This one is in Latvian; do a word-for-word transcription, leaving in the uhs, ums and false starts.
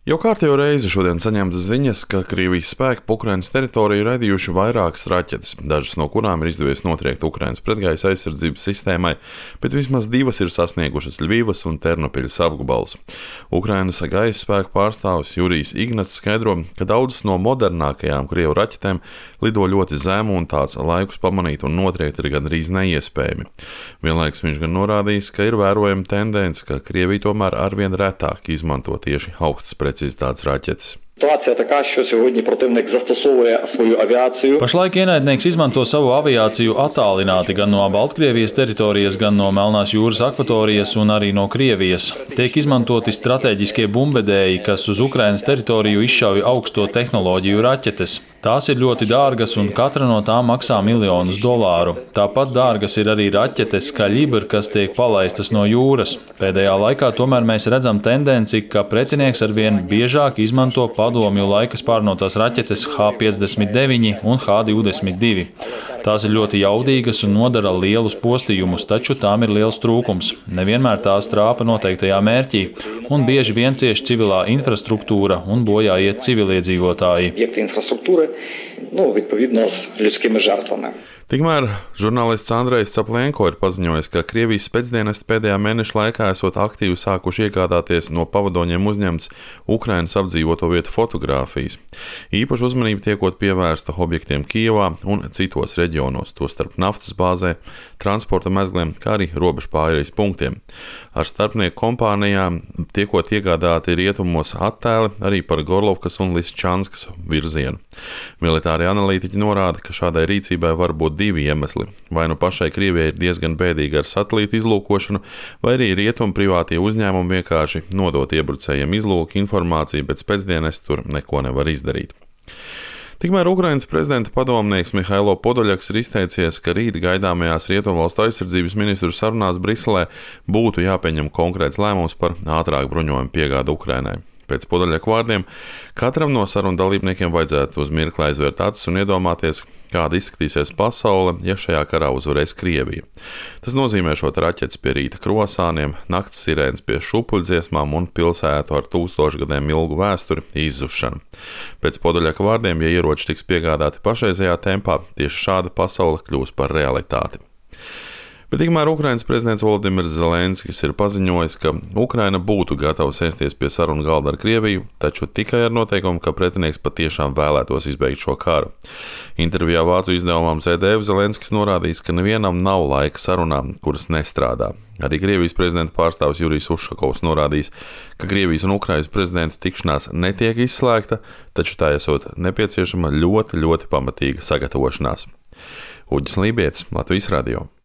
Jau kārtējo reizi šodien saņemtas ziņas, ka Krievijas spēki pa Ukrainas teritoriju radījuši vairākas raķetes, dažas no kurām ir izdevies notriekt Ukrainas pretgaisa aizsardzības sistēmai, bet vismaz divas ir sasniegušas Ļvivas un Ternopiļas apgabalus. Ukrainas gaisa spēku pārstāvis Jurijs Ignats skaidro, ka daudzas no modernākajām Krievu raķetēm lido ļoti zemu un tās laikus pamanīt un notriekt ir gandrīz neiespējami. Vienlaikus viņš gan norādījis, ka ir vērojama tendence, ka Krievija tomēr arvien retāk izmanto tieši augstas precizitātes raķetes. Ситуація така, що сьогодні противник застосовує свою авіацію. Pašlaik ienaidnieks izmanto savu aviāciju attālināti gan no Baltkrievijas teritorijas, gan no Melnās jūras akvatorijas un arī no Krievijas. Tiek izmantoti stratēģiskie bumbvedēji, kas uz Ukrainas teritoriju izšauj augsto tehnoloģiju raķetes. Tās ir ļoti dārgas un katra no tām maksā miljonus dolāru. Tāpat dārgas ir arī raķetes Kaļibr, kas tiek palaistas no jūras. Pēdējā laikā tomēr mēs redzam tendenci, ka pretinieks arvien biežāk izmanto padomju laika spārnotās raķetes H piecdesmit deviņi un H divdesmit divi. Tās ir ļoti jaudīgas un nodara lielus postījumus, taču tām ir liels trūkums. Nevienmēr tās trāpa noteiktajā mērķī, un bieži vien cieš civilā infrastruktūra un bojā iet civiliedzīvotāji. Об'єкти інфраструктури, ну, відповідно, з людськими жертвами. Tikmēr žurnālists Andrejs Caplienko ir paziņojis, ka Krievijas spēcdienesti pēdējā mēneša laikā esot aktīvi sākuši iegādāties no pavadoņiem uzņemts Ukrainas apdzīvoto vietu fotogrāfijas. Īpaši uzmanība tiekot pievērsta objektiem Kijevā un citos reģionos, tostarp naftas bāzē, transporta mezgliem, kā arī robežu pārejas punktiem. Ar starpnieku kompānijām tiekot iegādāti rietumos attēli arī par Gorlovkas un Lisčanskas virzienu. Militārie analītiķi norāda, ka šādai rīcībai var būt divi iemesli. Vai nu pašai Krievijai ir diezgan bēdīgi ar satelītu izlūkošanu, vai arī rietumu privātie uzņēmumi vienkārši nodot iebrucējiem izlūku informāciju, bet spēcdienesti tur neko nevar izdarīt. Tikmēr Ukrainas prezidenta padomnieks Mihailo Podoļaks ir izteicies, ka rīt gaidāmajās Rietumvalstu aizsardzības ministru sarunās Briselē būtu jāpieņem konkrēts lēmums par ātrāku bruņojumu piegādi Ukrainai. Pēc Podoļaka vārdiem, katram no sarunu dalībniekiem vajadzētu uz mirkli aizvērt acis un iedomāties, kāda izskatīsies pasaule, ja šajā karā uzvarēs Krievija. Tas nozīmē šot raķetes pie rīta krosāniem, nakts sirēnas pie šupuļdziesmām un pilsētu ar tūkstošu gadiem ilgu vēsturi izzušanu. Pēc Podoļaka vārdiem, ja ieroči tiks piegādāti pašreizējā tempā, tieši šāda pasaule kļūs par realitāti. Bet tikmēr Ukrainas prezidents Volodimirs Zelenskis ir paziņojis, ka Ukraina būtu gatava sēsties pie sarunu galda ar Krieviju, taču tikai ar noteikumu, ka pretinieks patiešām vēlētos izbeigt šo karu. Intervijā vācu izdevumam Z D F Zelenskis norādījis, ka nevienam nav laika sarunām, kuras nestrādā. Arī Krievijas prezidenta pārstāvis Jurijs Ušakovs norādījis, ka Krievijas un Ukrainas prezidentu tikšanās netiek izslēgta, taču tā esot nepieciešama ļoti, ļoti pamatīga sagatavošanās. Uģis Lībietis, Latvijas radio.